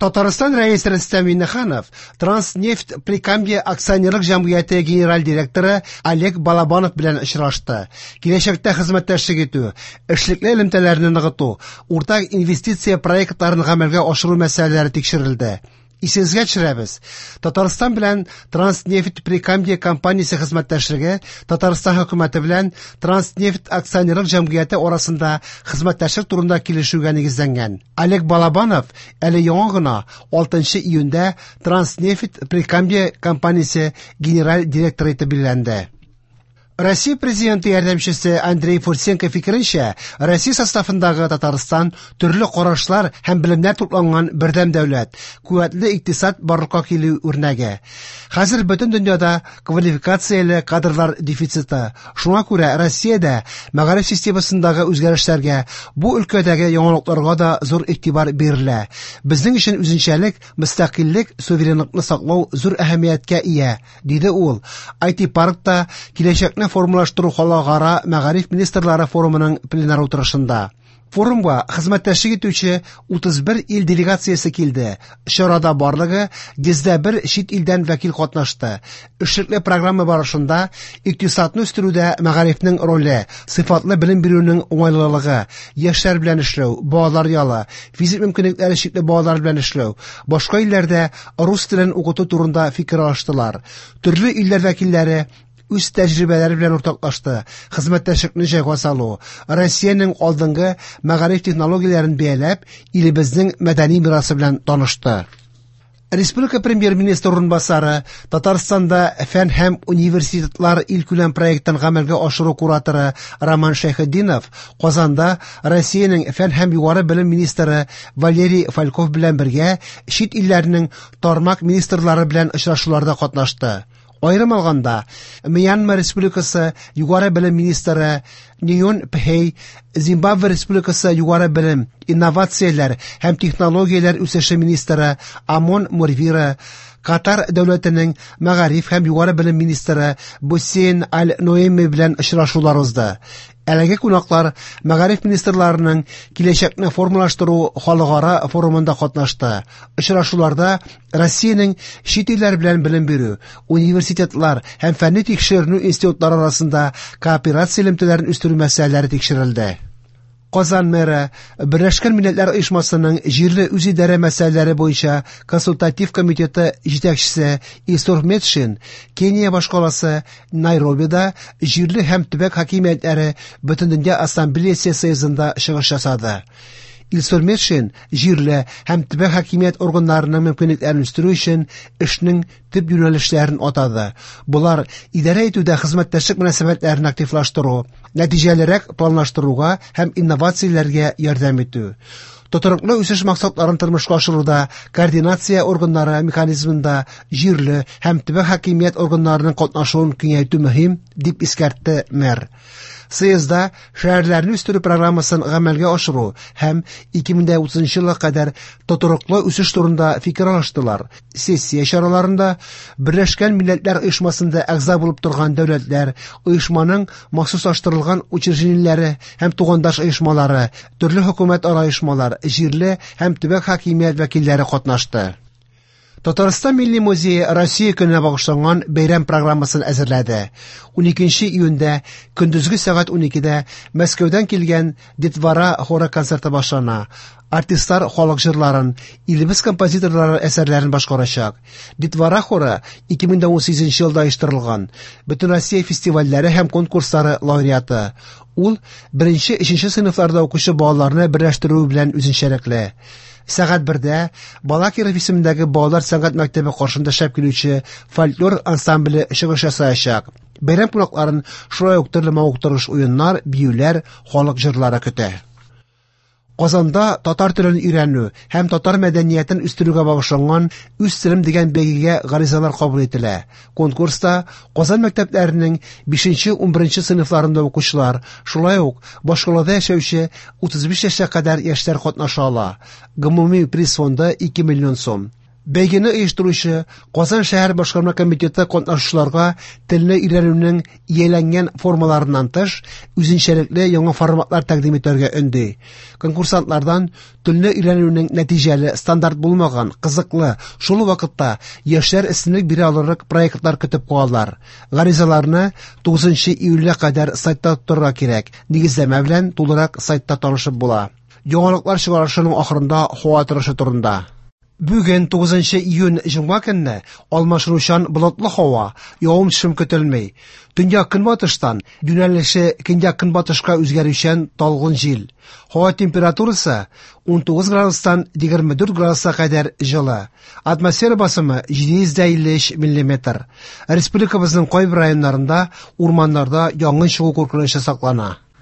Татарстан Рәисе Рөстәм Миңнеханов Транснефть Прикамье акционерлык җәмгыяте генераль директоры Олег Балабанов белән очрашты. Киләчәктә хезмәттәшлек итү, эшлекле элемтәләрне ныгыту, уртак инвестиция проектларын гамәлгә ашыру мәсьәләләре тикшерелде. Исегезгә төшерәбез, Татарстан белән Транснефть Прикамье компаниясе хезмәттәшлеге Татарстан хөкүмәте белән Транснефть акционерлык җәмгыяте арасында хезмәттәшлек турында килешүгә нигезләнгән. Олег Балабанов әле яңа гына 6 июньдә Транснефть Прикамье компаниясе генераль директоры итеп билгеләнде. Россия президенты ярдәмчесе Андрей Фурсенко фикеренчә, Россия составындагы Татарстан төрле карашлар һәм белемнәр тупланган бердәм дәүләт, куәтле икътисад барлыкка килү үрнәге. Хәзер бөтен дөньяда квалификацияле кадрлар дефициты. Шуңа күрә Россиядә мәгариф системасындагы үзгәрешләргә, бу өлкәдәге яңалыкларга да зур игътибар бирелә. Безнең өчен үзенчәлек, мөстәкыйльлек, суверенлыкны саклау зур әһәмияткә ия, диде ул. IT-паркта киләчәкне формалаштыру халыкара мәгариф министрлары форумының пленар утырышында. Форумга хезмәттәшлек итүче 31 ил делегациясе килде. Чарада барлыгы 101 чит илдән вәкил катнашты. Эшлекле программа барышында икътисадны үстерүдә мәгарифнең роле, сыйфатлы белем бирүнең уңайлылыгы, яшьләр белән эшләү, балалар ялы, физик мөмкинлекләре чикле балалар белән эшләү, башка илләрдә рус телен укыту турында фикер алыштылар. Төрле илләр вәкилләре үз тәҗрибәләре белән уртаклашты, хезмәттәшлекне җайга салу, Россиянең алдынгы мәгариф технологияләрен бәяләп, илебезнең мәдәни мирасы белән танышты. Республика премьер-министры урынбасары, Татарстанда фән һәм университетлар илкүләм проектын гамәлгә ашыру кураторы Роман Шәйхетдинов Казанда Россиянең фән һәм югары белем министры Валерий Фальков белән бергә чит илләрнең тармак министрлары белән очрашуларда катнашты. Аерым алганда, Мьянма Республикасы югары белем министры Ньон Пхей, Зимбабве Республикасы югары белем, инновацияләр һәм технологияләр үсеше министры Амон Мурвира, Катар дәүләтенең мәгариф һәм югары белем министры Бусейн Аль-Ноэми белән очрашулар узды. Әлеге кунаклар мәгариф министрларының киләчәкне формалаштыру халыкара форумында катнашты. Очрашуларда Россиянең чит илләр белән белем бирү, университетлар һәм фәнни тикшеренү институтлары арасында кооперация элемтәләрен үстерү мәсьәләләре тикшерелде. Казан мэры, Берләшкән Милләтләр Оешмасының җирле үзидарә мәсьәләләре буенча консультатив комитеты җитәкчесе Илсур Метшин Кения башкаласы Найробида җирле һәм төбәк хакимиятләре Бөтендөнья ассамблеясе съездында чыгыш ясады. Илсур Метшин җирле һәм төбәк хакимият органнарының мөмкинлекләрен үстерү өчен эшнең төп юнәлешләрен атады. Болар идарә итүдә хезмәттәшлек мөнәсәбәтләрен активлаштыру, нәтиҗәлерәк планлаштыруга һәм инновацияләргә ярдәм итү. Тотрыклы үсеш максатларын тормышка ашыруда координация органнары механизмында җирле һәм төбәк хакимият органнарының катнашуын киңәйтү мөһим, дип искәртте мэр. Съездда шәһәрләрне үстерү программасын гамәлгә ашыру һәм 2030 елга кадәр тотрыклы үсеш турында фикер алыштылар. Сессия чараларында Берләшкән Милләтләр Оешмасында әгъза булып торган дәүләтләр, оешманың махсуслаштырылган учреждениеләре һәм тугандаш оешмалары, төрле хөкүмәтара оешмалар, җирле һәм төбәк хакимият вәкилләре катнашты. Татарстан Милли музее Россия көненә багышланган бәйрәм программасын әзерләде. 12 июньдә көндезге сәгать 12дә Мәскәүдән килгән Детвора хоры концерты башлана. Артистлар халык җырларын, илебез композиторлары әсәрләрен башкарачак. Детвора хоры 2018 елда оештырылган. Бөтенроссия фестивальләре һәм конкурслары лауреаты. Ул 1-3 сыйныфларда укучы балаларны берләштерү белән үзенчәлекле. Сәгать 1дә Балакиров исемендәге балалар сәнгать мәктәбе каршында эшләп килүче фольклор ансамбле чыгыш ясаячак. Бәйрәм кунакларын шулай ук төрле мавыктыргыч уеннар, биюләр, халык җырлары көтә. Казанда татар телен өйрәнү һәм татар мәдәниятен үстерүгә багышланган Үз телем дигән бәйгегә гаризалар кабул ителә. Конкурста Казан мәктәпләренең 5-11 сыйныфларында укучылар, шулай ук башкалада яшәүче 35 яшькә кадәр яшьләр катнаша ала. Гомуми приз фонды 2 миллион сум. Бәйгене оештыручы Казан шәһәр башкарма комитеты катнашучыларга телне өйрәнүнең ияләнгән формаларыннан тыш, үзенчәлекле яңа форматлар тәкъдим итәргә өнди. Конкурсантлардан телне өйрәнүнең нәтиҗәле, стандарт булмаган, кызыклы, шул ук вакытта яшьләр өстенлек бирә алырлык проектлар көтеп калалар. Гаризаларны 9 июльгә кадәр сайтта тотарга кирәк. Нигезләмә белән тулырак сайтта танышып була. Яңалыклар чыгарышының ахырында һава торышы турында. Бүген 9 июнь җомга көнне алмашынучан болытлы һава, явым-төшем көтелми. Төньяк көнбатыштан юнәлеше көньяк көнбатышка үзгәрүчән талгын җил. Һава температурасы 19 градустан 24 градуска кадәр җылы. Атмосфера басымы 753 миллиметр. Республикабызның кайбер районнарында урманнарда янгын чыгу куркынычы саклана.